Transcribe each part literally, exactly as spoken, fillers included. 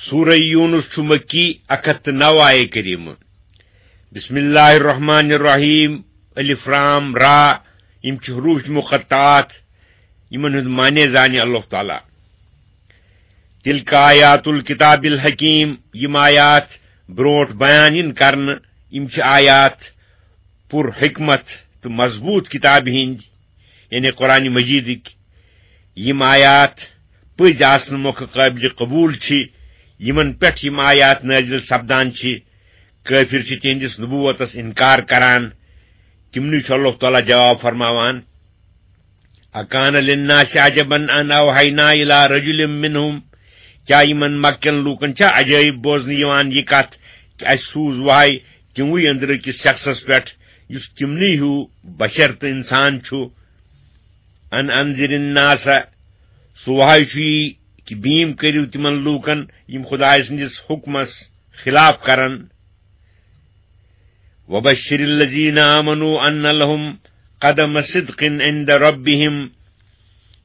سورہ یونس چھُ مکی، اکھ ہتھ تہٕ نو آیے کریمہ۔ بسم اللہ الرحمن الرحیم۔ الف لام را، یِم چھِ حروف مقطعات، یِمن ہُنٛد معنی زانہِ اللہ تعالیٰ۔ تلک آیات الکتاب الحکیم، یِم آیات برونٛٹھ بیان یِن کرنہٕ، یِم چھِ آیات پر حکمت تہٕ مضبوط کتابہِ ہٕنٛدۍ، یعنی قرآن مجیدٕکۍ۔ یِم آیات پٔزۍ آسنہٕ مۄکھٕ قٲبلِ قبوٗل چھِ، یِمن پٮ۪ٹھ یِم آیات نٲزِل سپدان چھِ، کٲفِر چھِ تِہنٛدِس نبوتس انکار کران۔ تِمنٕے چھُ اللہ تعالیٰ جواب فرماوان، اکان للناس عجبا ان اوحینا الی رجل منہم، کیا یِمن مکہ کٮ۪ن لوٗکن چھا عجٲیب بوزنہٕ یِوان یہِ کتھ کہِ اسہِ سوٗز وحی تِموٕے أنٛدرٕ کِس شخصس پٮ۪ٹھ یُس تِمنٕے ہیوٗ بشر تہٕ انسان چھُ؟ ان انذر الناس، سُہ وحی چھُ یی کہِ بیٖم کٔرِو تِمن لوٗکن یِم خدایہِ سٕنٛدِس حُکمس خلاف کرن۔ وبشر الذین آمنوا ان لهم قدم صدق عند ربهم،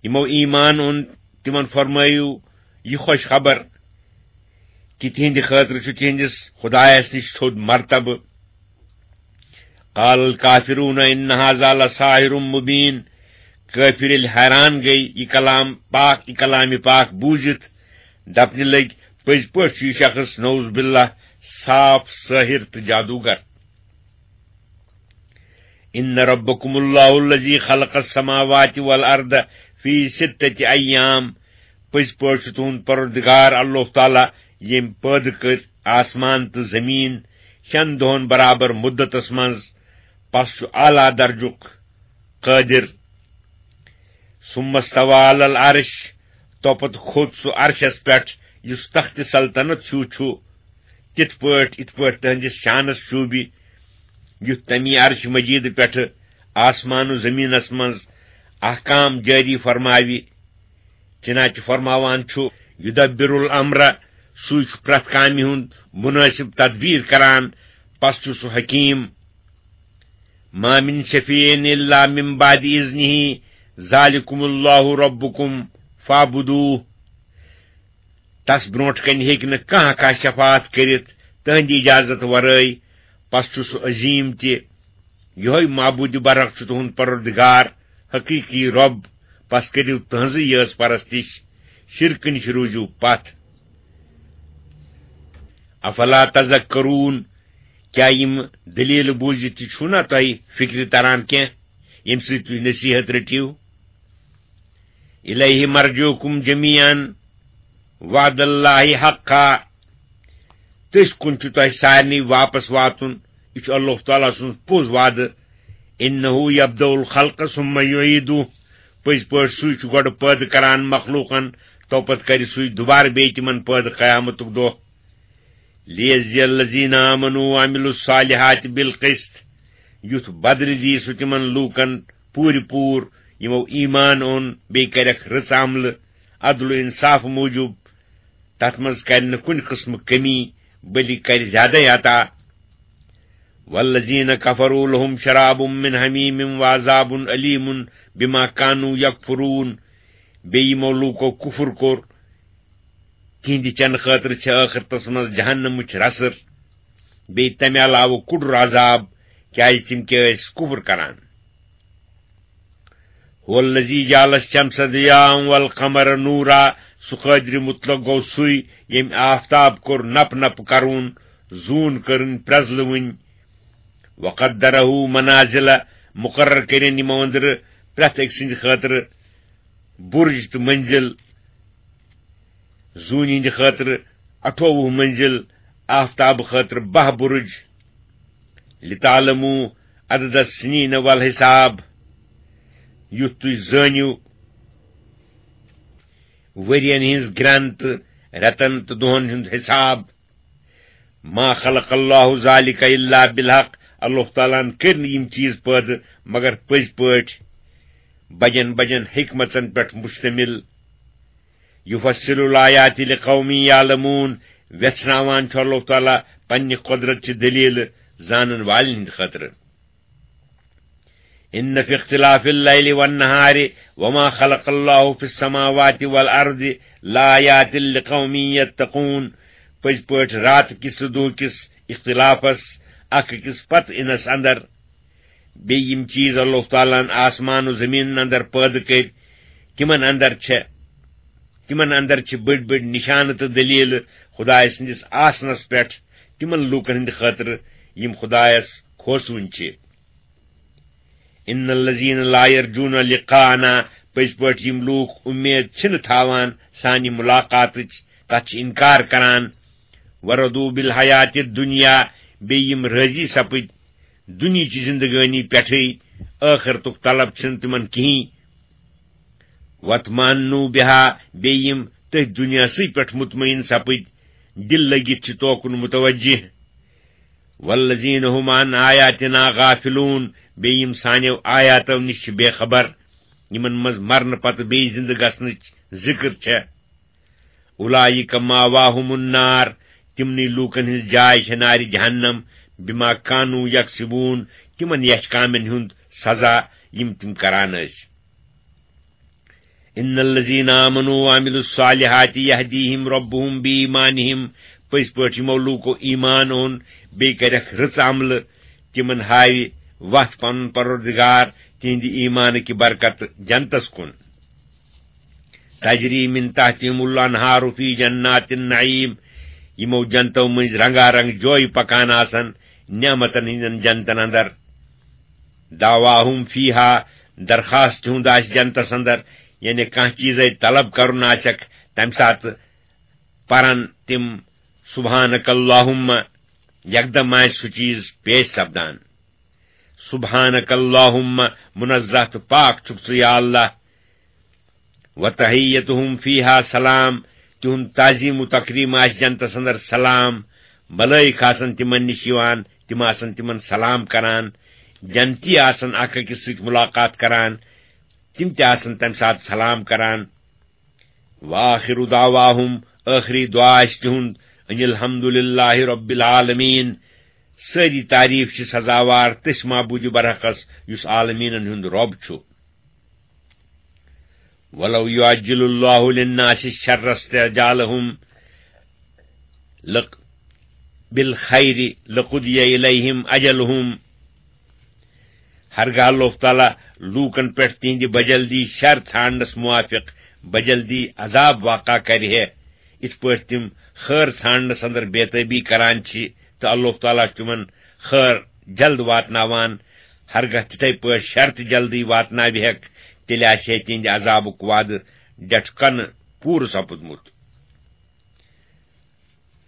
یِمو ایمان اوٚن تِمن فرمٲیِو یہِ خۄش خبر کہِ تِہنٛدِ خٲطرٕ چھُ تِہنٛدِس خدایس نِش تھوٚد مرتبہٕ۔ قال الکافرون ان هذا لساحر مبین، کٲفِر ییٚلہِ حیران گٔے یہِ کلام پاک، یہِ کلامِ پاک بوٗزِتھ، دپنہِ لٔگۍ، پٔزۍ پٲٹھۍ چھُ یہِ شخص نعوذ باللہ صاف سٲحِر تہٕ جادوگر۔ ان ربکم اللہ الذی خلق السماوات والارض فی ستۃ ایام، پٔزۍ پٲٹھۍ چھُ تُہُنٛد پروردگار اللہ تعالیٰ، ییٚمۍ پٲدٕ کٔرۍ آسمان تہٕ زٔمیٖن شٮ۪ن دۄہن برابر مُدتس منٛز، پس چھُ اعلیٰ درجُک قٲدِر۔ ثم استوى على العرش، توپتہٕ کھوٚت سُہ عرشس پٮ۪ٹھ یُس تخت سلطنت ہیوٗ چھُ، تِتھ پٲٹھۍ یِتھ پٲٹھۍ تہنٛدِس شانس شوٗبہِ، یُتھ تمی عرش مجیدٕ پٮ۪ٹھٕ آسمان و زمینس منٛز احکام جٲری فرماوِ۔ چنانچہ فرماوان چھُ، یدبر الامر، سُے چھُ پرٛٮ۪تھ کامہِ ہُنٛد مُنٲسِب تدبیٖر کران، پس چھُ سُہ حکیٖم۔ ما من شفیع الا من بعد اذنہ، ذالکم اللہ ربکم فاعبدوہ۔ تس برونٹھ کنہِ ہیٚکہِ نہٕ کانٛہہ کانٛہہ شفاعت کٔرِتھ تہنٛدِ اجازت ورٲے، پس چھُ سُہ عظیٖم تہِ۔ یِہوٚے معبوٗدِ برحق چھُ تُہُنٛد پروردگار، حقیٖقی رۄب، پس کٔرِو تٕہٕنٛزٕے یٲژ پرستِش، شرکہٕ نِش روٗزِو پتھ۔ افلا تذکرون، کیٛاہ یِم دٔلیٖلہٕ بوٗزِتھ تہِ چھُو نا تۄہہِ فِکرِ تران کینٛہہ، ییٚمہِ سۭتۍ تُہۍ نصیحت رٔٹِو؟ الیہ مرجعکم جمیعا وعد اللہ حقا، تٔسۍ کُن چھُ تۄہہِ سارنٕے واپس واتُن۔ یہِ چھُ اللہ تعالیٰ سُنٛد پوٚز وعدٕ۔ انہ یبدأ الخلق ثم یعیدہ، پٔزۍ پٲٹھۍ سُے چھُ گۄڈٕ پٲدٕ کران مخلوقن، توپتہٕ کرِ سُے دُبارٕ بیٚیہِ تِمن پٲدٕ قیامتُک دۄہ۔ لیجزی الذین آمنوا وعملوا الصالحات بالقسط، یُتھ بدلہٕ دِیہِ سُہ تِمن لوٗکن پوٗرِ پوٗر یِمو ایمان اوٚن بیٚیہِ کرٮ۪کھ رٕژ عملہٕ عدل و انصاف موٗجوٗب۔ تتھ منٛز کرِ نہٕ کُنہِ قٕسمہٕ کٔمی، بلکہِ کرِ زیادَے عطا۔ والذین کفروا لهم شراب من حمیم وعذاب الیم بما كانوا یکفرون۔ بیٚیہِ یِمو لوٗکو کُفر کوٚر، تِہنٛدِ چنہٕ خٲطرٕ چھِ ٲخرتس منٛز جہنمٕچ رسر، بیٚیہِ تمہِ علاوٕ کُڈُر عذاب، کیازِ تِم کیٛاہ ٲسۍ کُفر کران۔ هو الذی جعل الشمس ضیاء والقمر نورا، سُہ قٲدرِ مطلق گوٚو سُے، ییٚمۍ آفتاب کوٚر نپ نپ کرُن، زوٗن کٔرٕن پرٛزلوٕنۍ۔ وقدره منازل، مقرر کٔرِن یِمو أنٛدرٕ پرٛٮ۪تھ أکۍ سٕنٛدِ خٲطرٕ بُرج تہٕ منزل۔ زوٗنہِ ہٕنٛدِ خٲطرٕ اَٹھووُہ منزل، آفتاب خٲطرٕ باہ بُرج۔ لتعلموا عدد السنین والحساب، یُتھ تُہۍ زٲنِو ؤرین ہٕنٛز گرٛن تہٕ رٮ۪تن تہٕ دۄہن ہُنٛد حساب۔ ما خلق اللہ ذلک الا بالحق، اللہ تعالیٰ ہن کٔرۍ نہٕ یِم چیٖز پٲدٕ مگر پٔزۍ پٲٹھۍ، بجن بجن حکمژن پٮ۪ٹھ مشتمل۔ یفصل الآیات لقوم یعلمون، ویژھناوان چھُ اللہ تعالیٰ پننہِ قۄدرت چہِ دٔلیٖلہٕ زانن والٮ۪ن ہٕنٛدِ خٲطرٕ۔ ان فی اختلاف اللیل والنہار وما خلق اللہ فی السماوات والارض لآیات لقوم یتقون، پٔزۍ پٲٹھۍ راتہٕ کِس تہٕ دۄہ کِس اختلافس، اکھ أکِس پتہٕ یِنس اندر۔ بیٚیہِ یِم چیٖز اللہ تعالیٰ ہن آسمان و زٔمیٖنن اندر پٲدٕ کٔرۍ، تِمن اندر چھےٚ، تِمن اندر چھِ بٔڑۍ بٔڑۍ نِشانہٕ تہٕ دٔلیٖلہٕ خدایہِ سٕنٛدِس آسنس پٮ۪ٹھ تِمن لوٗکن ہٕنٛدِ خٲطرٕ، یِم خدایس کھوژوٕنۍ چھِ۔ ان الذین لا یرجون لقاءنا، پٔزۍ پٲٹھۍ یِم لوٗکھ اُمید چھِنہٕ تھاوان سانہِ مُلاقاتٕچ، تتھ چھِ انکار کران۔ ورضوا بالحیات الدنیا، بیٚیہِ یِم رٲضی سپٕدۍ دُنیہٕچہِ زندگٲنی پٮ۪ٹھٕے، ٲخرتُک طلب چھِنہٕ تِمن کِہیٖنۍ۔ واطمأنوا بها، بیٚیہِ یِم تٔتھۍ دُنیاہسٕے پٮ۪ٹھ مطمئن سپٕدۍ، دِل لٔگِتھ چھِ توکُن متوجہ۔ والذین هم عن آیاتنا غافلون، بیٚیہِ یِم سانیو آیاتو نِش چھِ بے خبر، یِمن منٛز مرنہٕ پتہٕ بیٚیہِ زِندٕ گژھنٕچ ذِکر چھےٚ۔ اولئک مأواہم النار، تِمنٕے لوٗکن ہٕنٛز جاے چھےٚ نارِ جہنم، بما کانوا یکسبون، تِمن یچھ کامٮ۪ن ہُنٛد سزا، یِم تِم کران ٲسۍ۔ ان الذین آمنوا وعملوا الصالحات یہدیہم ربہم بایمانہم، پٔزۍ پٲٹھۍ یِمو لوٗکو ایمان اوٚن، بیٚیہِ کَرٮ۪کھ رٕژ عملہٕ، تِمن ہاوِ وَتھ پنُن پروردگار تِہنٛدِ ایمانہٕ کہِ برکتہٕ جنتس کُن۔ تجری من تحتہم الانہار فی جنات النعیم، یِمو جنتو مٔنٛزۍ رنگا رنگ جویہِ پکان آسن نعمتن ہٕنٛدٮ۪ن جنتن اندر۔ دعواہم فیہا، درخواست تِہُنٛد آسہِ جنتس اندر، یعنی کانٛہہ چیٖزے طلب کرُن آسٮ۪کھ، تمہِ ساتہٕ پرن تِم سبحانک اللہم، یکدم آسہِ سُہ چیٖز پیش سپدان۔ سبحانک اللہم، منزہ تہٕ پاک چھُکھ ژٕ یا اللہ۔ وتحیتہم فیہا سلام، تِہُنٛد تعظیم و تکریم آسہِ جنتس اندر سلام۔ ملائک آسن تِمن نِش یِوان، تِم آسن تِمن سلام کران۔ جنتی آسن اکھ أکِس سۭتۍ ملاقات کران، تِم تہِ آسن تمہِ ساتہٕ سلام کران۔ وآخر دعواہم، ٲخری دعا آسہِ تِہُنٛد، ان الحمد للہ رب العالمین، سٲری تعریف چھِ سزاوار تٔسۍ معبوٗدِ برحقس، یُس عالمیٖنن ہُنٛد رۄب چھُ۔ ولو یعجل اللہ للناس الشر استعجالہم لق-، بالخیر لقضی الیہم اجلہم۔ ہرگاہ اللہ تعالیٰ لوٗکن پٮ۪ٹھ تِہنٛدِ بجلدی شر ژھانڈنس موافق بجلدی عذاب واقع کرِ ہے، یِتھ پٲٹھۍ تِم خٲر ژھانڈنس اندر بے تٲبی کران چھِ، تہٕ اللہ تعالیٰ چھُ تِمن خٲر جلد واتناوان۔ ہرگاہ تِتھے پٲٹھۍ شر تہِ جلدی واتناوِ ہیکھ، تیٚلہِ آسہِ ہے تِہنٛدِ عذابُک وعدٕ ڈٹھ کنہٕ پوٗرٕ سپُدمُت۔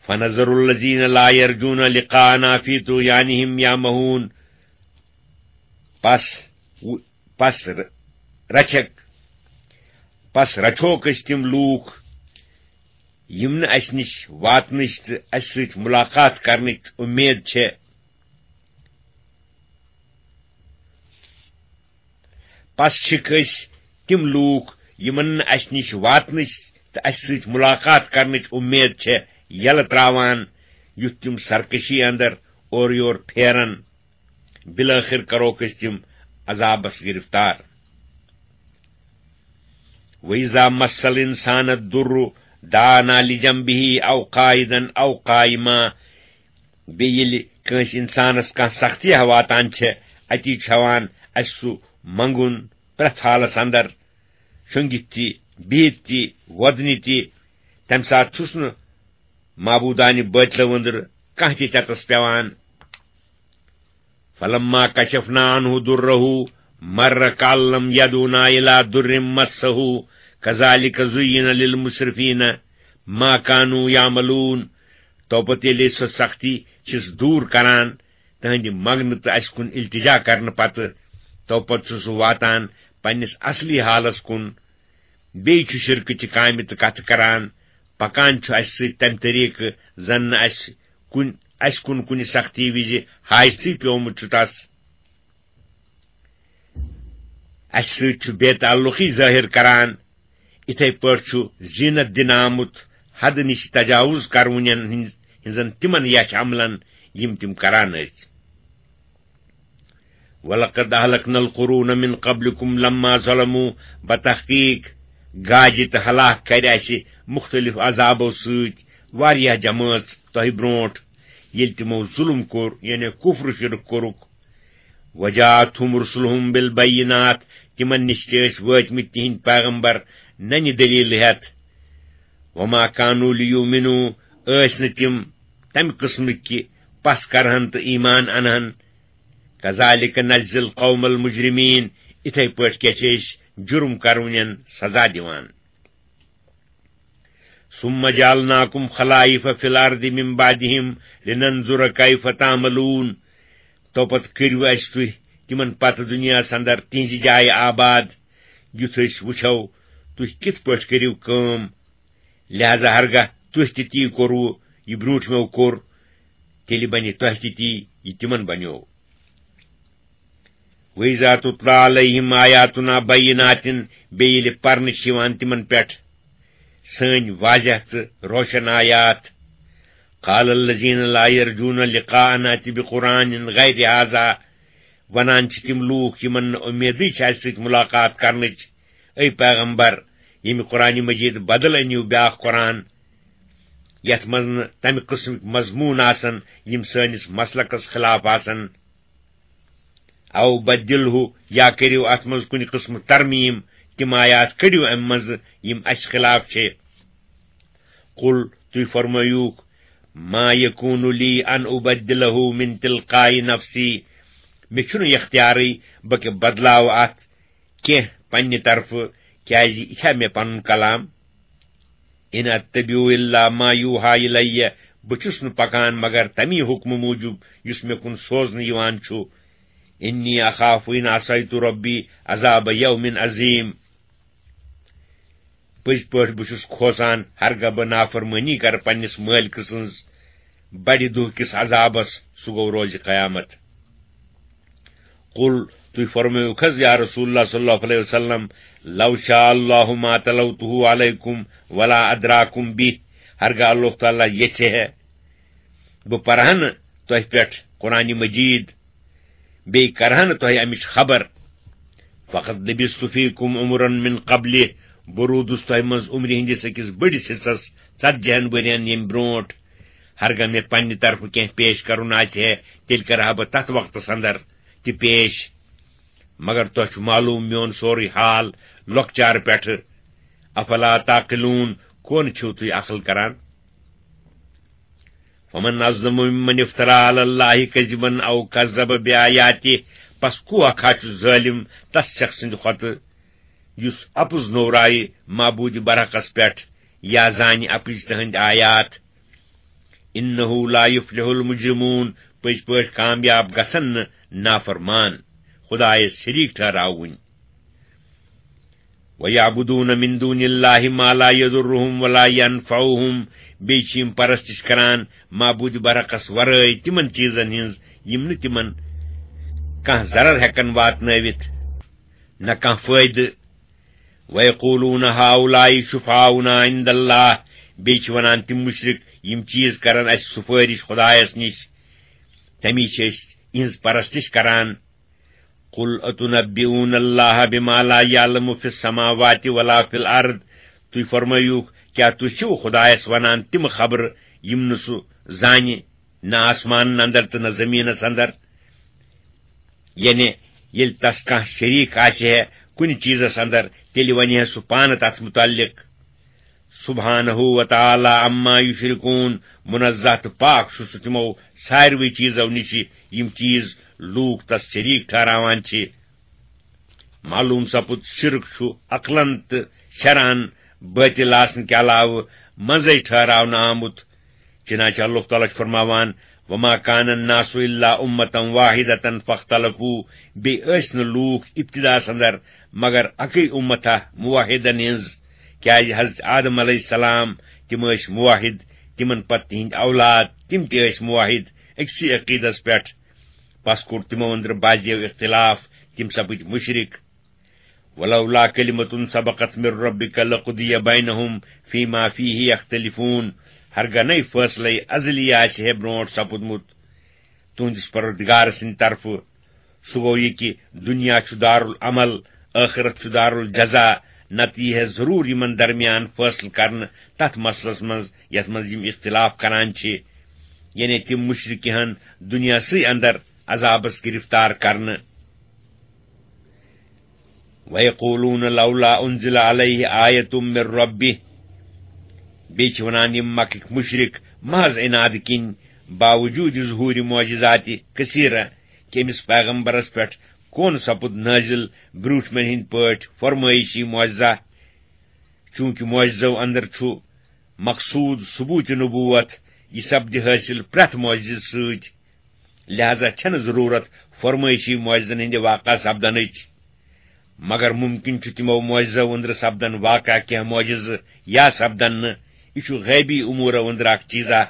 فنذر الذین لا یرجون لقاءنا فی طغیانہم یعمہون۔ پس، پس ر-، رچھکھ، پس رچھوکھ أسۍ تِم لوٗکھ، یِم نہٕ اسہِ نِش واتنٕچ تہٕ اسہِ سۭتۍ ملاقات کرنٕچ اُمید چھےٚ۔ پس چھِکھ أسۍ تِم لوٗکھ، یِمن نہٕ اسہِ نِش واتنٕچ تہٕ اسہِ سۭتۍ ملاقات کرنٕچ اُمید چھےٚ، یلہٕ تراوان، یُتھ تِم سرکشی اندر اورٕ یور پھیرن۔ بالآخر کروکھ أسۍ تِم عذابس گرفتار۔ وَإِذَا مَسَّ الْإِنسَانَ الضُّرُّ دَعَانَا لِجَنبِهِ أَوْ قَاعِدًا أَوْ قَائِمًا۔ بیٚیہِ ییٚلہِ کٲنٛسہِ اِنسانَس کانٛہہ سختی واتان چھےٚ، اَتی چھُ ہٮ۪وان اَسہِ سُہ منٛگُن پرٛٮ۪تھ حالَس اَندَر، شۄنٛگِتھ تہِ، بِہِتھ تہِ، وۄدنہِ تہِ۔ تَمہِ ساتہٕ چھُس نہٕ معبوٗدانہِ بٲطلہٕ وٕنٛدرٕ کانٛہہ تہِ چَتَس پٮ۪وان۔ فلما کشفنا عنہ ضره مر کأن لم یدعنا الی ضر مسہ کذالک زین للمسرفین ما کانوا یعملون۔ تو پتہٕ ییٚلہِ أسۍ سۄ سختی چھِس دوٗر کران، تہنٛدِ منٛگنہٕ تہٕ اَسہِ کُن التجا کرنہٕ پتہٕ، تو پتہٕ چھُ سُہ واتان پننِس اصلی حالس کُن۔ بیٚیہِ چھُ شرکٕچہِ کامہِ تہٕ کتھٕ کران، پکان چھُ اَسہِ سۭتۍ تمہِ طریٖقہٕ زن نہٕ اَسہِ کُنہِ، اَسہِ کُن کُنہِ سختی وِزِ حاجتٕے پیومُت چھُ تس۔ اَسہِ سۭتۍ چھُ بے تعلقی ظٲہِر کران۔ اِتھے پٲٹھۍ چھُ زینت دِنہٕ آمُت حدٕ نِش تجاوز کرونٮ۪ن ہٕنٛز، ہٕنٛزن تِمن یچھ عملن، یِم تِم کران ٲسۍ۔ وَلَقَدْ أَهْلَكْنَا الْقُرُونَ مِنْ قَبْلِكُمْ لَمَّا ظَلَمُوا، بتحقیق گاجہِ تہٕ ہلاک کرِ اَسہِ مُختٔلِف عذابو سۭتۍ واریاہ جمٲژ تۄہہِ برونٛٹھ، ییٚلہِ تِمو ظُلُم کوٚر، یعنی کُفر و شرک کوٚرُکھ۔ وجاءتهم رسلهم بالبينات، تِمن نِش تہِ ٲسۍ وٲتمٕتۍ تِہنٛدۍ پیغمبر ننہِ دٔلیٖلہٕ ہٮ۪تھ۔ وما كانوا ليؤمنوا، ٲسۍ نہٕ تِم تمہِ قٕسمٕکۍ کہِ پس کرہن تہٕ ایمان انہن۔ كذلك نجزي القوم المجرمين، اِتھے پٲٹھۍ کیٛاہ چھِ أسۍ جُرم کرونٮ۪ن سزا دِوان۔ ثم جعلناكم خلائف في الأرض من بعدهم لننظر كيف تعملون۔ تو پتہٕ کٔرِو اَسہِ تُہۍ تِمن پتہٕ دُنیاہس اندر تِہنٛزِ جایہِ آباد، یُتھ أسۍ وٕچھو تُہۍ کِتھ پٲٹھۍ کٔرِو کٲم۔ لہذا ہرگاہ تُہۍ تہِ تی کوٚروٕ یہِ برٛونٛٹھمٮ۪و کوٚر، تیٚلہِ بنہِ تۄہہِ تہِ تی یہِ تِمن بنیو۔ وَإِذَا تُتْلَى عَلَيْهِمْ آيَاتُنَا بَيِّنَاتٍ، بیٚیہِ ییٚلہِ پرنہٕ چھِ یِوان تِمن پٮ۪ٹھ سٲنۍ واضح تہٕ روشن آیات۔ قَالَ الَّذِينَ لَا يَرْجُونَ لِقَاءَنَا ائْتِ بِقُرْآنٍ غَيْرِ هَٰذَا، ونان چھِ تِم لوٗکھ یِمن نہٕ اُمیدٕے چھِ اَسہِ سۭتۍ مُلاقات کرنٕچ، اے پیغمبر، ییٚمہِ قرآنِ مجیٖد بدل أنِو بیٛاکھ قرآن، یَتھ منٛز نہٕ تَمہِ قٕسمٕکۍ مضموٗن آسن یِم سٲنِس مسلکس خلاف آسن۔ او بدلہ، یا کٔرِو اَتھ منٛز کُنہِ قٕسمہٕ ترمیٖم، تِم آیات کٔڑِو اَمہِ منٛزٕ یِم اَسہِ خلاف چھِ۔ قل، تُہۍ فرمٲیوٗکھ، ما یکون لی ان ابدلہ من تلقاء نفسی، مےٚ چھُنہٕ یہِ اختیارٕے بہٕ کہِ بدلاوٕ اَتھ کینٛہہ پننہِ طرفہٕ، کیازِ یہِ چھا مےٚ پنُن کلام؟ ان اتبع الا ما یوحی الی، بہٕ چھُس نہٕ پکان مگر تمی حکمہٕ موٗجوٗب یُس مےٚ کُن سوزنہٕ یِوان چھُ۔ انی اخاف ان عصیت ربی عذاب یوم عظیم۔ پٔزۍ پٲٹھۍ بہٕ چھُس کھوژان ہرگاہ بہٕ نافرمٲنی کرٕ پننِس مٲلکہٕ سٕنٛز بڑِ دۄہ کِس عذابس، سُہ گوٚو روزِ قیامت۔ قل، تُہۍ فرمٲیِو حظ یا رسول اللہ صلی اللہ علیہ وسلم، لو شاء اللہ ما تلوتہ علیکم ولا ادراکم بہ، ہرگاہ اللہ تعالیٰ یژھِ ہے بہٕ پرہا نہٕ تۄہہِ پٮ۪ٹھ قرآنِ مجیٖد، بیٚیہِ کرہا نہٕ تۄہہِ امِچ خبر۔ فقد لبثت فیکم عمرا من قبلہ، بہٕ روٗدُس تۄہہِ منٛز عمرِ ہٕنٛدِس أکِس بٔڑِس حصس، ژتجی ہن ؤرین ییٚمہِ برونٛٹھ۔ ہرگاہ مےٚ پننہِ طرفہٕ کینٛہہ پیش کرُن آسہِ ہے، تیٚلہِ کرٕ ہا بہٕ تتھ وقتس اندر تہِ پیش۔ مگر تۄہہِ چھُ معلوم میون سورُے حال لۄکچارٕ پٮ۪ٹھٕ۔ افلا تعقلون، کون چھِو تُہۍ عقل کران؟ فمن اظلم ممن افترى على الله كذبا او كذب بآياته، پس کُس اکھ ہا چھُ ظٲلم تس شخص سٕنٛدِ کھۄتہٕ یُس اپُز نوٚورایہِ معبوٗدِ برحقس پٮ۪ٹھ یا زانہِ اپٕزۍ تہنٛدۍ آیات۔ انه لا يفلح المجرمون، پٔزۍ پٲٹھۍ کامیاب گژھن نہٕ نافرمان، خدایس شریٖک ٹھہراوٕنۍ۔ وَيَعْبُدُونَ مِن دُونِ اللَّهِ مَا لَا يَضُرُّهُمْ وَلَا يَنفَعُهُمْ، بیٚیہِ چھِ یِم پرستش کران معبوٗدِ برحقس ورٲے تِمن چیٖزن ہٕنٛز یِم نہٕ تِمن کانٛہہ ضرر ہٮ۪کن واتنٲوِتھ، نہ کانٛہہ فٲیدٕ۔ وَيَقُولُونَ هَٰؤُلَاءِ شُفَعَاؤُنَا عِندَ اللَّهِ، بیٚیہِ چھِ ونان تِم مُشرِک، یِم چیٖز کرن اَسہِ سُفٲرِش خدایس نِش، تمی چھِ أسۍ یِہٕنٛز پرستش کران۔ قل اتنبئون اللہ بما لا يعلم في السماوات ولا في الارض، تُہۍ فرمٲیوٗکھ، کیٛاہ تُہۍ چھِو خدایس ونان تِم خبرٕ یِم نہٕ سُہ زانہِ، نہ آسمانن اندر تہٕ نہ زمینس اندر؟ یعنی ییٚلہِ تس کانٛہہ شریٖک آسہِ ہے کُنہِ چیٖزس اندر، تیٚلہِ ونہِ ہے سُہ پانہٕ تتھ متعلق۔ سبحانہ و تعالی عما یشرکون، منزہ تہٕ پاک چھُ سُہ تِمو ساروٕے چیٖزو نِش یِم چیٖز لوٗکھ تس شریٖک ٹھہراوان چھِ۔ معلوٗم سپُد شرک چھُ عقلن تہٕ شرعن باطل آسنہٕ کہِ علاوٕ منزے ٹھہراونہٕ آمُت۔ چنانچہ اللہ تعالیٰ چھُ فرماوان، وما كان الناس الا امة واحدة فاختلفوا، بیٚیہِ ٲسۍ نہٕ لوٗکھ ابتداہس اندر مگر اکٕے امتھا موحدن ہٕنٛز، کیازِ حضرت آدم علیہ السلام تِم ٲسۍ موحد، تِمن پتہٕ تِہنٛدۍ اولاد تِم تہِ ٲسۍ موحد أکسٕے عقیدس پٮ۪ٹھ۔ پس کوٚر تِمو أنٛدرٕ بعضیو اختلاف، تِم سپٕدۍ مُشرِک۔ ولولا کلمة سبقت من ربک لقضی بینہم فیما فیہ یختلفون، ہرگاہ نَے فٲصلے ازلی آسہِ ہے برونٛٹھ سپُدمُت تُہنٛدِس پروردگار سٕنٛدِ طرفہٕ، سُہ گوٚو یہِ کہِ دُنیا چھُ دارالعمل، ٲخرت چھُ دارالجزا، نتہٕ یی ہے ضروٗر یِمن درمیان فٲصلہٕ کرنہٕ تتھ مسلس منٛز یتھ منٛز یِم اختلاف کران چھِ، یعنی تِم مشرک یِہن دُنیاہسٕے اندر عذابس گرفتار کرنہٕ۔ وَيَقُولُونَ لَوْلَا أُنْزِلَ عَلَيْهِ آيَةٌ مِّن رَّبِّهِ۔ بیٚیہِ چھِ وَنان یِم مکٕکۍ مُشرِک محض عنادٕ کِنۍ، باوجوٗدِ ظہوٗرِ معجزاتِ کثیرہ، کہِ أمِس پیغمبرس پٮ۪ٹھ کون سپُد نٲزِل برٛوٗنٛٹھمٮ۪ن ہٕنٛدۍ پٲٹھۍ فرمٲیشی معجزہ؟ چوٗنٛکہِ معجزو اندر چھُ مقصوٗد ثبوٗتِ نبوت، یہِ سپدِ حٲصِل پرٛٮ۪تھ معجزٕ سۭتۍ۔ لہذا چھنہٕ ضروٗرت فرمٲیشی معجزن ہٕنٛدِ واقع سپدنٕچ، مگر ممکن چھُ تِمو معجزو أنٛدرٕ سپدن واقع کینٛہہ معجزٕ یا سپدن نہٕ۔ یہِ چھُ غیبی امورو أنٛدرٕ اکھ چیٖزا،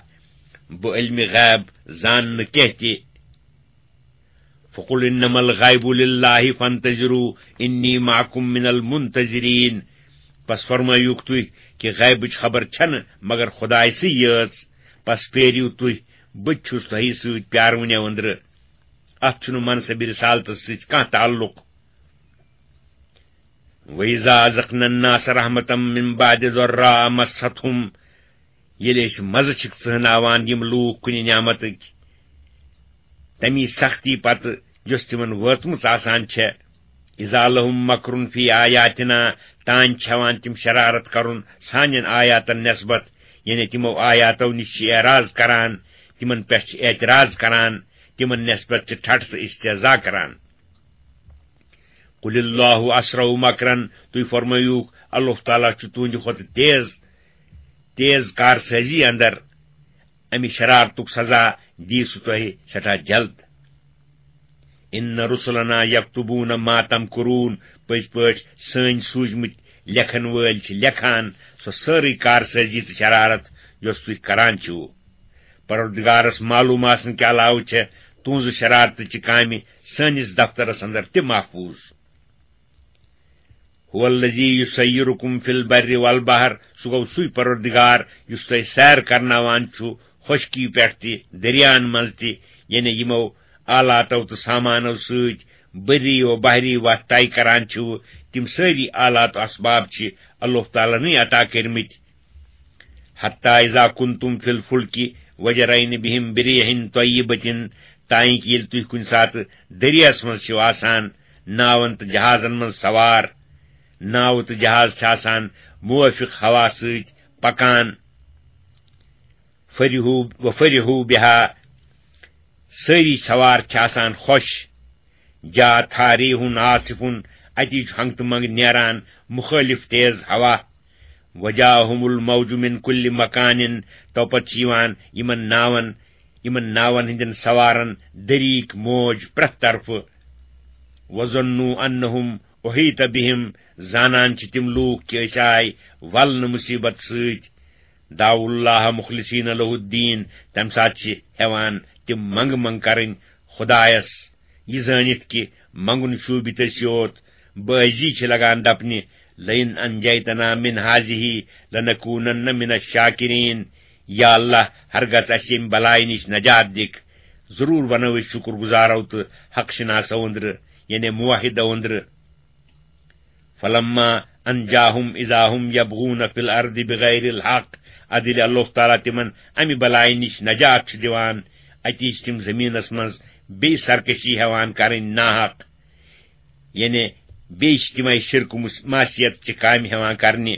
بہٕ علمِ غیب زان نہٕ کینٛہہ تہِ۔ فقل انما الغیب للہ فانتظروا انی معکم من المنتظرین۔ پس فرمٲیِو تُہۍ کہِ غیبٕچ خبر چھنہٕ مگر خدایہِ سٕے یٲژ۔ پس پیٲرِو تُہۍ، بہٕ تہِ چھُس تۄہہِ سۭتۍ پیارونیو أنٛدرٕ۔ اتھ چھُنہٕ منصبِ رسالتس سۭتۍ کانٛہہ تعلق۔ وَإِذَا أَذَقْنَا النَّاسَ رَحْمَةً مِّن بَعْدِ ضَرَّاءَ مَسَّتْهُمْ۔ ییٚلہِ أسۍ مزٕ چھِکھ ژٕہناوان یِم لوٗکھ کُنہِ نعمتٕکۍ، تَمی سختی پتہٕ یۄس تِمن وٲژمٕژ آسان چھےٚ، اِذا لَهُم مَّكْرٌ فِي آيَاتِنَا، تانۍ چھِ ہٮ۪وان تِم شرارت کرُن سانٮ۪ن آیاتن نٮ۪سبت، یعنی تِمو آیاتو نِش چھِ اعراض کران، تِمن پٮ۪ٹھ چھِ اعتراض کران، تِمن نٮ۪سبت چھِ ٹھٹھ تہٕ استہزا کران۔ قل اللہ اسرع مکرن، تُہۍ فرمٲیِو، اللہ تعالیٰ چھُ تُہنٛدِ کھۄتہٕ تیز، تیز کارسٲزی اندر۔ امہِ شرارتُک سزا دی سُہ تۄہہِ سٮ۪ٹھاہ جلد۔ ان رسلنا یکتبون ما تمکرون، پٔزۍ پٲٹھۍ سٲنۍ سوٗزمٕتۍ لیکھن وٲلۍ چھِ لیکھان سۄ سٲرٕے کارسٲزی تہٕ شرارت یۄس تُہۍ کران چھِو۔ پروردگارس معلوم آسنہٕ کہِ علاوٕ چھےٚ تُہنٛزٕ شرارتہٕ چہِ کامہِ سٲنِس دفترس اندر تہِ محفوظ۔ هو الذی یسیرکم فی البر والبحر، سُہ گوٚو سُے پروردگار یُس تۄہہِ سیر کرناوان چھُ خۄشکی پٮ۪ٹھ تہِ، دٔریاہن منٛز تہِ، یعنی یِمو آلاتو تہٕ سامانو سۭتۍ بری و بحری وتھ طے کران چھِو، تِم سٲری آلات و اسباب چھِ اللہ تعالیٰ ہنٕے عطا کٔرمٕتۍ۔ حتی اذا کنتم فی الفلک وجرین بہم بریح طیبۃ، تانۍ کہ ییٚلہِ تُہۍ کُنہِ ساتہٕ دٔریاہس منٛز چھِو آسان، ناون تہٕ جہازن منٛز سوار، ناوٕ تہٕ جہاز چھِ آسان موافق ہوا سۭتۍ پکان۔ فرحوا وفرحوا بها، سٲری سوار چھِ آسان خۄش۔ جاءتها ریح عاصف، اتی چھُ ہنگ تہٕ منگ نیران مخٲلف تیز ہوا۔ وجاءهم الموج من کل مکان، تو پتہٕ چھِ یِوان یِمن ناون، یِمن ناون ہٕنٛدٮ۪ن سوارن دٔریٖک موج پرٛٮ۪تھ طرفہٕ۔ وظنوا انهم احیط بهم، زانان چھِ تِم لوٗکھ کہِ أسۍ آے ولنہٕ مُصیبت سۭتۍ۔ دعوا اللہ مخلصین لہ الدین، تمہِ ساتہٕ چھِ ہٮ۪وان تِم منگہٕ منگہٕ کرٕنۍ خدایس، یہِ زٲنِتھ کہِ منگُن شوٗبہِ تٔسۍ یوت۔ بٲزی چھِ لگان دپنہِ، لئن انجیتنا من هذه لنکونن من الشاکرین۔ یا اللہ، ہرگز اسہِ ییٚمہِ بلایہِ نِش نجات دِکھ، ضروٗر بنو أسۍ شُکر گُزارو تہٕ حق شناسو أنٛدرٕ، یعنی موحدو أنٛدرٕ۔ فلما انجاهم اذا هم یبغون فی الارض بغیر الحق، ادٕ ییٚلہِ اللہ تعالیٰ تِمن امہِ بلایہِ نِش نجات چھُ دِوان، اتی چھِ تِم زٔمیٖنس منٛز بیٚیہِ سرکشی ہٮ۪وان کرٕنۍ ناحق، یعنی بیٚیہِ چھِ تِمے شرک و مس-، معصیت چہِ کامہِ ہٮ۪وان کرنہِ۔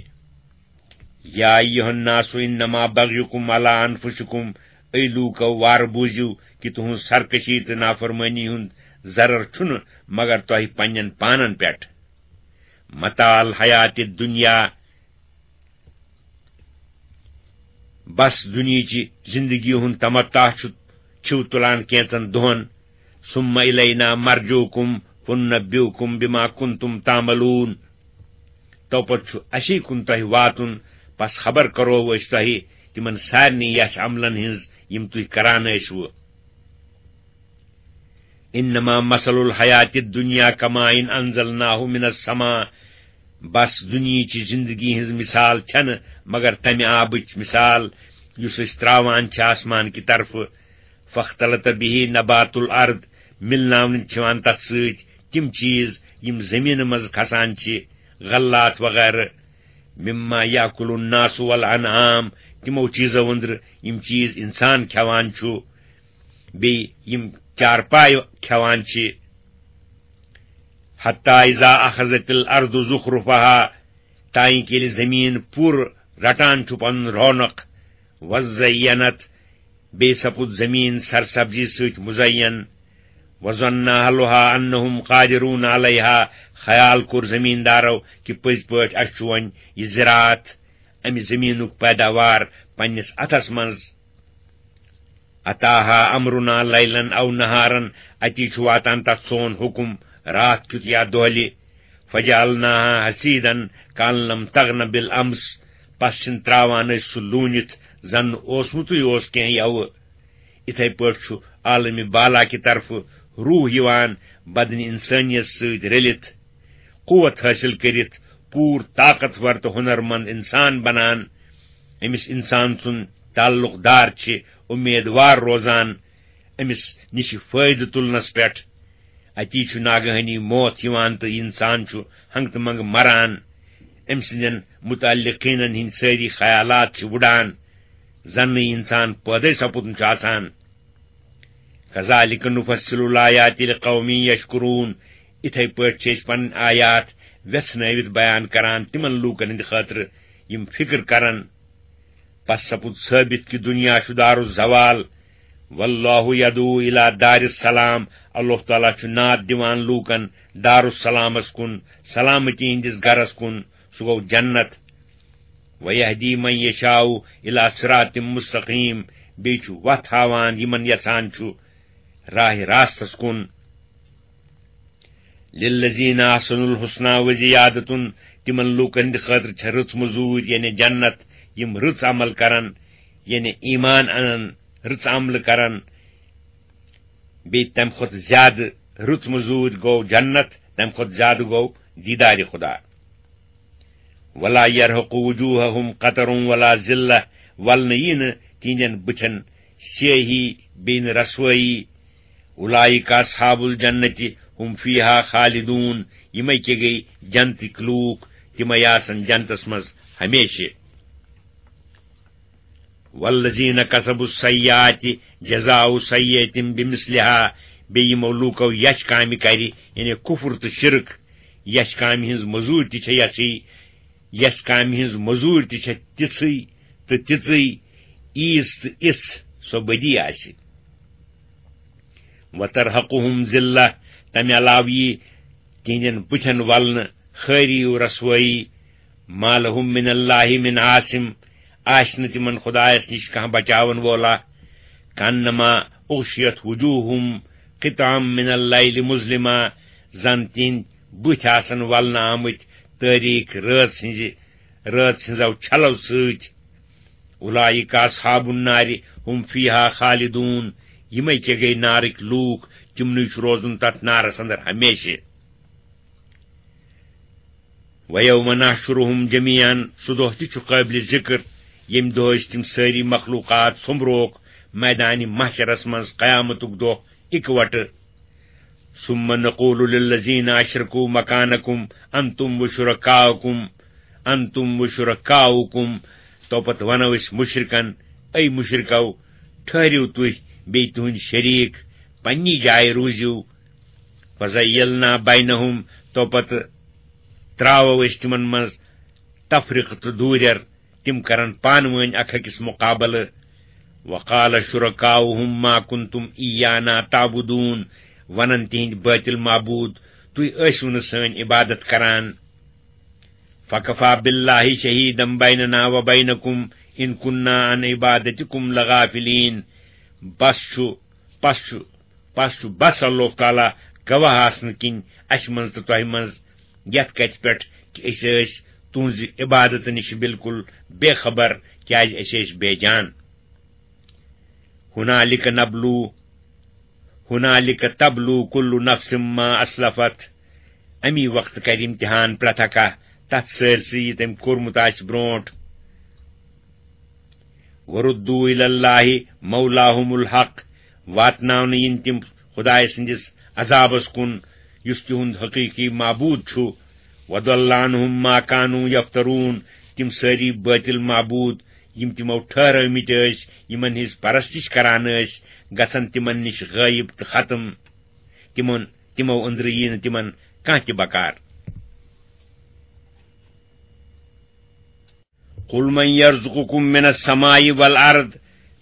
یا ایھا الناس انما بغیکم علی انفسکم، اے لوٗکو، وارٕ بوٗزِو کہِ تُہٕنٛز سرکشی تہٕ نافرمٲنی ہُنٛد ضرر چھُنہٕ مگر تۄہہِ پننٮ۪ن پانن پٮ۪ٹھ۔ متاع الحیات الدنیا، بس دُنیہٕچہِ زندگی ہُنٛد تمتع چھُ، چھِو تُلان کینٛژن دۄہن۔ ثم الینا مرجعکم فننبئکم بما کنتم تعملون۔ تو پتہٕ چھُ اسی کُن تۄہہِ واتُن، پس خبر کرو أسۍ تۄہہِ تِمن سارنٕے یَتھ عملن ہٕنٛز یِم تُہۍ کران ٲسوٕ۔ انما مثل الحیات الدنیا کماء انزلناہ من السماء، بس دُنیہٕچہِ زندگی ہٕنٛز مثال چھنہٕ مگر تمہِ آبٕچ مثال یُس أسۍ تراوان چھِ آسمان کہِ طرفہٕ۔ فاختلط به نبات الارض، مِلناونہٕ چھِ یِوان تتھ سۭتۍ تِم چیٖز یِم زٔمیٖنہٕ منٛز کھسان چھِ۔ غلات وغیرہ، مما یاکل الناس والانعام، تِمو چیٖزو أنٛدرٕ یِم چیٖز اِنسان کھٮ۪وان چھُ، بیٚیہِ یِم چارپاے کھٮ۪وان چھِ۔ حتی اذا اخذت الارض زخرفها، تانۍ کہِ ییٚلہِ زٔمیٖن پوٗرٕ رٹان چھُ پنُن رونق، وزینت، بیٚیہِ سپُد زٔمیٖن سرسبزی سۭتۍ مزین۔ وظن اہلها انہم قادرون علیہا، خیال کوٚر زٔمیٖندارو کہِ پٔزۍ پٲٹھۍ اَسہِ چھُ وۄنۍ یہِ زِراعت، اَمہِ زٔمیٖنُک پیداوار پننِس اَتھس منٛز۔ اتاہا امرنا لیلا او نہارا، اتی چھُ واتان تتھ سون حُکم راتھ کیُت یا دۄہلہِ۔ فجعلناها حصیدا کأن لم تغن بالامس، پس چھِن تراوان أسۍ سُہ لوٗنِتھ زن نہٕ اوسمُتُے اوس کینٛہہ یوٕ۔ اِتھے پٲٹھۍ چھُ عالمِ بالا کہِ طرفہٕ روح یِوان بدنِ انسٲنیت سۭتۍ رٔلِتھ، قوت حٲصِل کٔرِتھ پوٗرٕ طاقتور تہٕ ہُنرمند انسان بنان۔ أمِس انسان سُنٛد تعلق دار چھِ اُمیدوار روزان أمِس نِش فٲیدٕ تُلنس پٮ۪ٹھ۔ اتی چھُ ناگہٲنی موت یِوان تہٕ انسان چھُ ہنٛگتہٕ منٛگہٕ مران۔ أمۍ سٕنٛدٮ۪ن متعلقیٖنن ہٕنٛدۍ سٲری خیالات چھِ وُڈان، زن نہٕ انسان پٲدے سپُدمُت چھُ آسان۔ کذالک نفصل الآیات لقوم یشکرون، اِتھے پٲٹھۍ چھِ أسۍ پنٕنۍ آیات ویژھنٲوِتھ بیان کران تِمن لوٗکن ہٕنٛدِ خٲطرٕ یِم فکر کرن۔ پس سپُد ثٲبت کہِ دُنیا چھُ دار الزوال۔ واللہ یدعو الی دار السلام، اللہ تعالیٰ چھُ ناد دِوان لوٗکن دار السلامس کُن، سلامتی ہٕنٛدِس گرس کُن، سُہ گوٚو جنت۔ ویہدی من یشاء الی صراط مستقیم، بیٚیہِ چھُ وتھ ہاوان یِمن یژھان چھُ راہِ راستس کُن۔ للذین احسنوا الحسنی و زیادۃ، تِمن لوٗکن ہٕنٛدِ خٲطرٕ چھےٚ رٕژ مٔزوٗرۍ، یعنی جنت، یِم رٕژ عمل کرن، یعنی ایمان انن، رٕژ عملہٕ کرن۔ بیٚیہِ تمہِ کھۄتہٕ زیادٕ رٕژ مٔزوٗرۍ گوٚو جنت، تمہِ کھۄتہٕ زیادٕ گوٚو دیدارِ خدا۔ ولا یرہق وجوہہم قتر ولا ذلہ، ولنہٕ یی نہٕ تِہنٛدٮ۪ن بُتھٮ۪ن سیاہی، بیٚیہِ نہٕ رسوٲیی۔ اولئک اصحاب الجنت، ہم فیہا خالدون، یِمے کیٛاہ گٔے جنتٕکۍ لوٗکھ، تِمے آسن جنتس منٛز ہمیشہِ۔ والذین کسبوا السیئات جزاء سیئۃ بمثلها، بیٚیہِ یِمو لوٗکو یچھ کامہِ کرِ، یعنی کفر تہٕ شرک، یچھ کامہِ ہٕنٛز مٔزوٗرۍ تہِ چھےٚ یژھٕے، یس کامہِ ہٕنٛز مٔزوٗرۍ تہِ چھےٚ تِژھٕے تہٕ تِژٕے، ییٖژ تہٕ یِژھ سۄ بدی آسہِ۔ وترہقہم ذلہ، تمہِ علاوٕ یی تِہنٛدٮ۪ن بُتھٮ۪ن ولنہٕ خٲری و رسوٲیی۔ ما لہم من اللہ من عاصم، آسہِ نہٕ تِمن خدایس نِش کانٛہہ بچاون وولا۔ کانما اغشیت وجوہہم قطعا من اللیل مظلما، زن تِہنٛدۍ بُتھۍ آسن ولنہٕ آمٕتۍ تٲریٖک رٲژ ہٕنٛزِ، رٲژ ہٕنٛزو چھلو سۭتۍ۔ اولئک اصحاب النار ہم فیہا خالدون، یِمے کیٛاہ گٔے نارٕکۍ لوٗکھ، تِمنٕے چھُ روزُن تتھ نارس اندر ہمیشہِ۔ ویوم نحشرہم جمیعا، سُہ دۄہ تہِ چھُ قٲبلِ ذکر، ییٚمہِ دۄہ أسۍ تِم سٲری مخلوقات سوٚمبروکھ میدانِ محشرس منٛز قیامتُک دۄہ اِکوٹہٕ۔ ثم نقول للذین اشرکوا مکانکم انتم و شرکاؤکم، انتم و شرکاؤکم، تو پتہٕ ونو أسۍ مشرکن، اے مشرکو، ٹھٔہرِو تُہۍ بیٚیہِ تُہنٛدۍ شریٖک، پننی جایہِ روٗزِو۔ فزیلنا بینہم، تو پتہٕ تراوو أسۍ تِمن منٛز تفرقہٕ تہٕ دوٗرٮ۪ر، تِم کرن پانہٕ وٲنۍ اکھ أکِس مقابلہٕ۔ وقال شرکاؤہم ما کنتم ایانا تعبدون، ونن تِہنٛدۍ بٲطِل معبوٗد، تُہۍ ٲسِو نہٕ سٲنۍ عبادت کران۔ فکفی باللہ شہیدا بیننا و بینکم ان کنا عن عبادتکم لغافلین۔ بس چھُ، پس چھُ، پس چھُ بس اللہ تعالیٰ گواہ آسنہٕ کِنۍ اسہِ منٛز تہٕ تۄہہِ منٛز یتھ کتھِ پٮ۪ٹھ کہِ أسۍ ٲسۍ تُہنٛزِ عبادتہٕ نِش بالکل بے خبر، کیازِ أسۍ ٲسۍ بے جان۔ ہنالک نبلو، ہنالک تبلو کل نفس ما اسلفت، امی وقتہٕ کرِ امتحان پرٛٮ۪تھ اکھا تتھ سٲرسٕے یہِ تٔمۍ کوٚرمُت آسہِ برونٛٹھ۔ وردوا الی اللہ مولاہم الحق، واتناونہٕ یِن تِم خدایہِ سٕنٛدِس عذابس کُن، یُس تِہُنٛد حقیٖقی معبوٗد چھُ۔ وضل عنهم ما كانوا يفترون، تِم سٲری بٲطِل معبوٗد یِم تِمو ٹھٔہرٲومٕتۍ ٲسۍ، یِمن ہٕنٛز پرستش کران ٲسۍ، گژھن تِمن نِش غٲیب تہٕ ختم۔ تِمن، تِمو أنٛدرٕ یِیہِ نہٕ تِمن کانٛہہ تہِ بکار۔ قل من يرزقكم من السماء والأرض،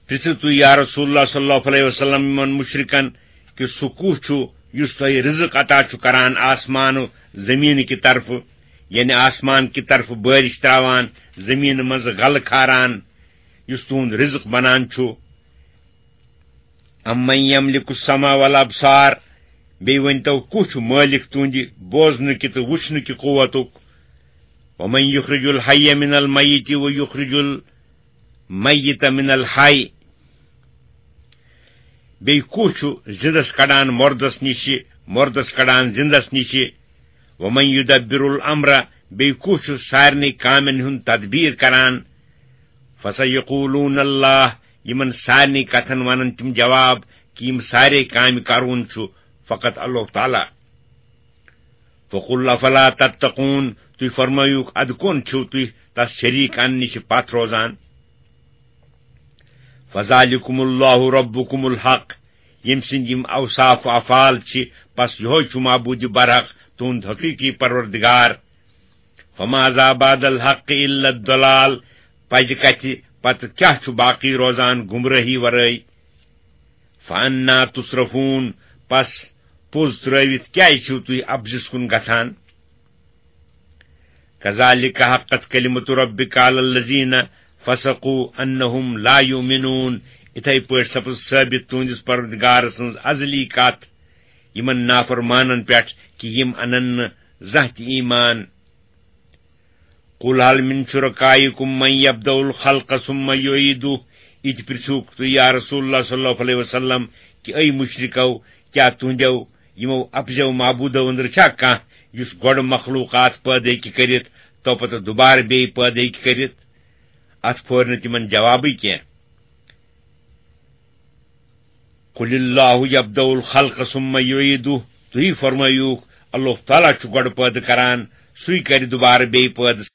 پرژھِو تُہۍ یا رسول اللہ صلی اللہ علیہ وسلم یِمن مشرکن کہِ سُہ کُس چھُ یُس تۄہہِ رزق عطا چھُ کران آسمان و زمین کہِ طرفہٕ، یعنی آسمان کہِ طرفہٕ بارش تراوان، زمین منٛز غلہٕ کھاران، یُس تُہُنٛد رزق بنان چھُ۔ امن یملک السمع والابصار، بیٚیہِ ؤنۍ تو کُس چھُ مٲلِک تُہنٛدِ بوزنہٕ کہِ تہٕ وٕچھنہٕ کہِ قوتُک؟ ومن یخرج الحی من المیت و یخرج المیت من الحی، بیٚیہِ کُس چھُ زِندس کڑان مردس نِشہِ، مردس کڑان زِندس نِشہِ؟ ومن یدبر الامر، بیٚیہِ کُس چھُ سارنٕے کامٮ۪ن ہُنٛد تدبیر کران؟ فسیقولون اللہ، یِمن سارنٕے کتھن ونن تِم جواب کہِ یِم سارے کامہِ کرون چھُ فقط اللہ تعالیٰ۔ فقل افلا تتقون، تُہۍ فرمٲیوکھ ادٕ کون چھِو تُہۍ تس شریٖک اننہٕ نِش پتھ روزان؟ فذلکم اللہ ربکم الحق، ییٚمۍ سٕنٛدۍ یِم اوصاف و افعال چھِ، پس یِہوے چھُ معبوٗدِ برحق تُہُنٛد حقیٖقی پروردگار۔ فماذا بعد الحق الا الضلال، پزِ کتھِ پتہٕ کیٛاہ چھُ باقی روزان گمرٲہی ورٲے؟ فانا تصرفون، پس پوٚز ترٲوِتھ کیٛازِ چھِو تُہۍ اپزِس کُن گژھان؟ کذالک حقت کلمت ربک علی الذین فسقوا انہم لا یؤمنون، اِتھے پٲٹھۍ سپٕز ثٲبت تُہنٛدِس پروردگار سٕنٛز ازلی کتھ یِمن نافرمانن پٮ۪ٹھ کہِ یِم انن نہٕ زانٛہہ تہِ ایمان۔ قل هل من شركائكم من يبدأ الخلق ثم يعيده، یہِ تہِ پرژھوکھ تُہۍ یا رسول اللہ صلی اللہ علیہ وسلم کہِ اے مشرکو، کیٛاہ تُہنٛدیو یِمو اپزیو معبوٗدو أنٛدرٕ چھا کانٛہہ یُس گۄڈٕ مخلوقات پٲدٕ ہیٚکہِ کٔرِتھ تو پتہٕ دُبارٕ بیٚیہِ پٲدٕ ہیٚکہِ کٔرِتھ؟ اتھ پھورِ نہٕ تِمن جوابٕے کینٛہہ۔ قل اللہ یبدأ الخلق ثم یعیدہ، تُہی فرمٲیوکھ، اللہ تعالیٰ چھُ گۄڈٕ پٲدٕ کران، سُے کرِ دُبارٕ بیٚیہِ پٲدٕ۔